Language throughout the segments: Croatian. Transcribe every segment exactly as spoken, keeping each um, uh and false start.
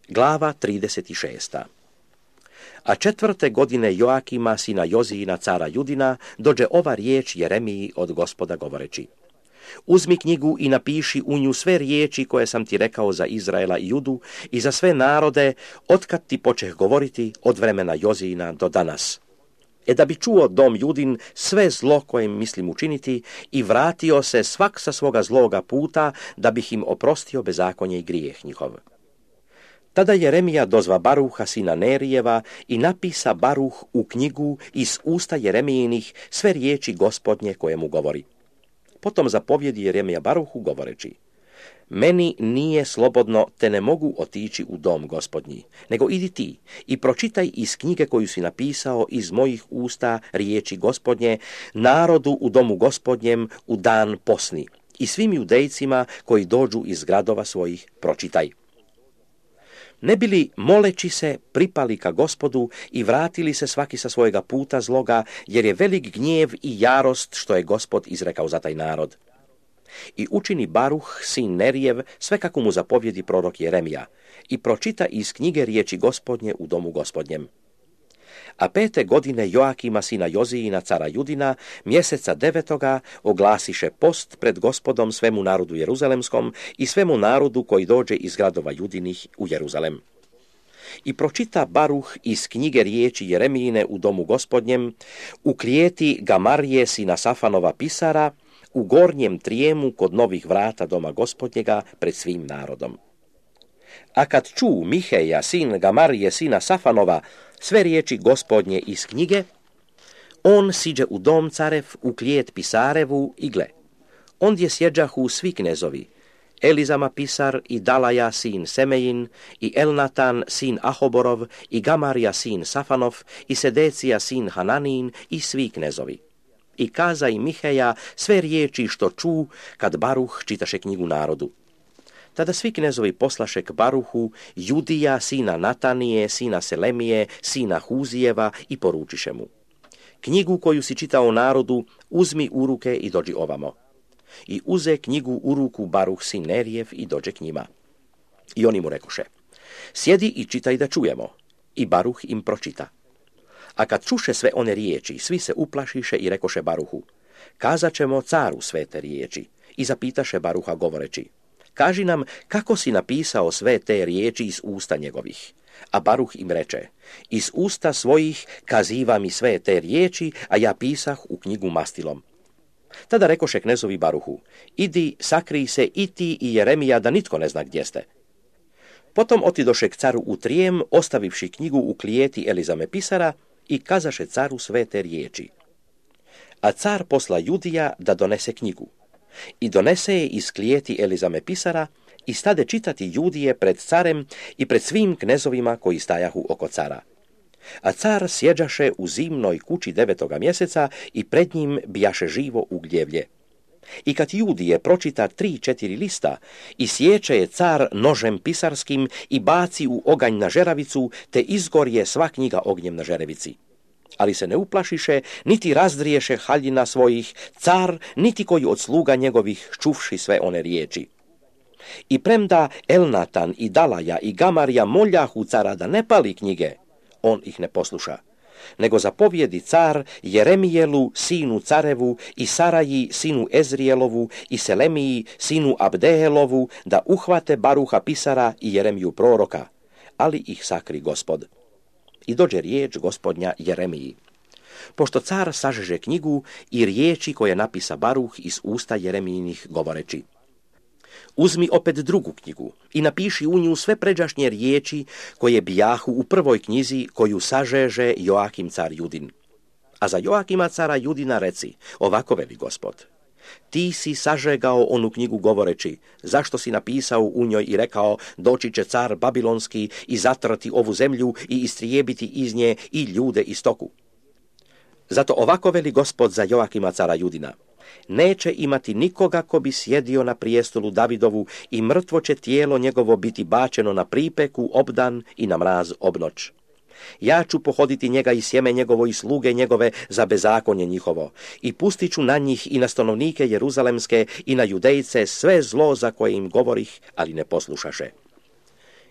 Glava trideset šest. A četvrte godine Joakima, sina Jozijina, cara Judina, dođe ova riječ Jeremiji od Gospoda govoreći: Uzmi knjigu i napiši u nju sve riječi koje sam ti rekao za Izraela i Judu i za sve narode, otkad ti počeh govoriti od vremena Jozijina do danas. E da bi čuo dom Judin sve zlo koje mislim učiniti i vratio se svak sa svoga zloga puta, da bih im oprostio bezakonje i grijeh njihov. Tada Jeremija dozva Baruha sina Nerijeva i napisa Baruh u knjigu iz usta Jeremijinih sve riječi Gospodnje koje mu govori. Potom zapovjedi Jeremija Baruhu govoreći: Meni nije slobodno, te ne mogu otići u dom Gospodnji, nego idi ti i pročitaj iz knjige koju si napisao iz mojih usta riječi Gospodnje narodu u domu Gospodnjem u dan posni i svim judejcima koji dođu iz gradova svojih pročitaj. Ne bili moleći se pripali ka Gospodu i vratili se svaki sa svojega puta zloga, jer je velik gnjev i jarost što je Gospod izrekao za taj narod. I učini Baruh, sin Nerijev, sve kako mu zapovjedi prorok Jeremija, i pročita iz knjige riječi Gospodnje u domu Gospodnjem. A pete godine Joakima, sina Jozijina, cara Judina, mjeseca devetoga, oglasiše post pred Gospodom svemu narodu Jeruzalemskom i svemu narodu koji dođe iz gradova Judinih u Jeruzalem. I pročita Baruh iz knjige riječi Jeremijine u domu Gospodnjem, u klijeti Gamarije, sina Safanova pisara, u gornjem trijemu kod novih vrata doma Gospodnjega pred svim narodom. A kad ču Miheja, sin Gamarije, sina Safanova, sve riječi Gospodnje iz knjige, on siđe u dom carev, u klijet pisarevu i gle, ondje sjeđahu svi knezovi, Elizama pisar i Dalaja sin Semejin i Elnatan sin Ahoborov i Gamarija sin Safanov i Sedecija sin Hananin i svi knezovi. I kaza i Miheja sve riječi što ču kad Baruh čitaše knjigu narodu. Tada svi knezovi poslaše k Baruhu Judija, sina Natanije, sina Selemije, sina Huzijeva i poručiše mu: Knjigu koju si čitao narodu, uzmi u ruke i dođi ovamo. I uze knjigu u ruku Baruh sin Nerijev i dođe k njima. I oni mu rekoše: Sjedi i čitaj da čujemo. I Baruh im pročita. A kad čuše sve one riječi, svi se uplašiše i rekoše Baruhu: Kazat ćemo caru sve te riječi. I zapitaše Baruha govoreći: Kaži nam kako si napisao sve te riječi iz usta njegovih. A Baruh im reče: Iz usta svojih kaziva mi sve te riječi, a ja pisah u knjigu mastilom. Tada rekoše knezovi Baruhu: Idi, sakrij se i ti i Jeremija, da nitko ne zna gdje ste. Potom otidoše k caru u trijem, ostavivši knjigu u klijeti Elizame pisara, i kazaše caru sve te riječi. A car posla Judija da donese knjigu. I donese je iz klijeti Elizame pisara i stade čitati Judije pred carem i pred svim knezovima koji stajahu oko cara. A car sjeđaše u zimnoj kući devetoga mjeseca i pred njim bijaše živo ugljevlje. I kad Judije pročita tri, četiri lista, i sječe je car nožem pisarskim i baci u oganj na žeravicu, te izgorje sva knjiga ognjem na žerevici. Ali se ne uplašiše, niti razdriješe haljina svojih, car, niti koji od sluga njegovih čuvši sve one riječi. I premda Elnatan i Dalaja i Gamarija moljahu cara da ne pali knjige, on ih ne posluša, nego zapovjedi car Jeremijelu, sinu carevu, i Saraji, sinu Ezrijelovu, i Selemiji, sinu Abdehelovu, da uhvate Baruha pisara i Jeremiju proroka, ali ih sakri Gospod. I dođe riječ Gospodnja Jeremiji. Pošto car sažeže knjigu i riječi koje napisa Baruh iz usta Jeremijinih govoreći: Uzmi opet drugu knjigu i napiši u nju sve pređašnje riječi koje bijahu u prvoj knjizi koju sažeže Joakim car Judin. A za Joakima cara Judina reci: Ovako veli Gospod: Ti si sažegao onu knjigu govoreći: Zašto si napisao u njoj i rekao: Doći će car babilonski i zatrati ovu zemlju i istrijebiti iz nje i ljude i stoku. Zato ovako veli Gospod za Joakima cara Judina: Neće imati nikoga ko bi sjedio na prijestolu Davidovu i mrtvo će tijelo njegovo biti bačeno na pripeku obdan i na mraz obnoć. Ja ću pohoditi njega i sjeme njegovo i sluge njegove za bezakonje njihovo i pustit ću na njih i na stanovnike Jeruzalemske i na Judejce sve zlo za koje im govorih, ali ne poslušaše.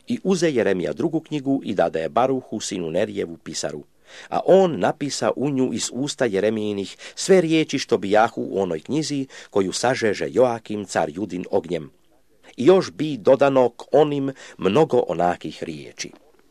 I uze Jeremija drugu knjigu i dade je Baruhu, sinu Nerijevu, pisaru. A on napisa u nju iz usta Jeremijinih sve riječi što bijahu u onoj knjizi koju sažeže Joakim car Judin ognjem. I još bi dodano k onim mnogo onakih riječi.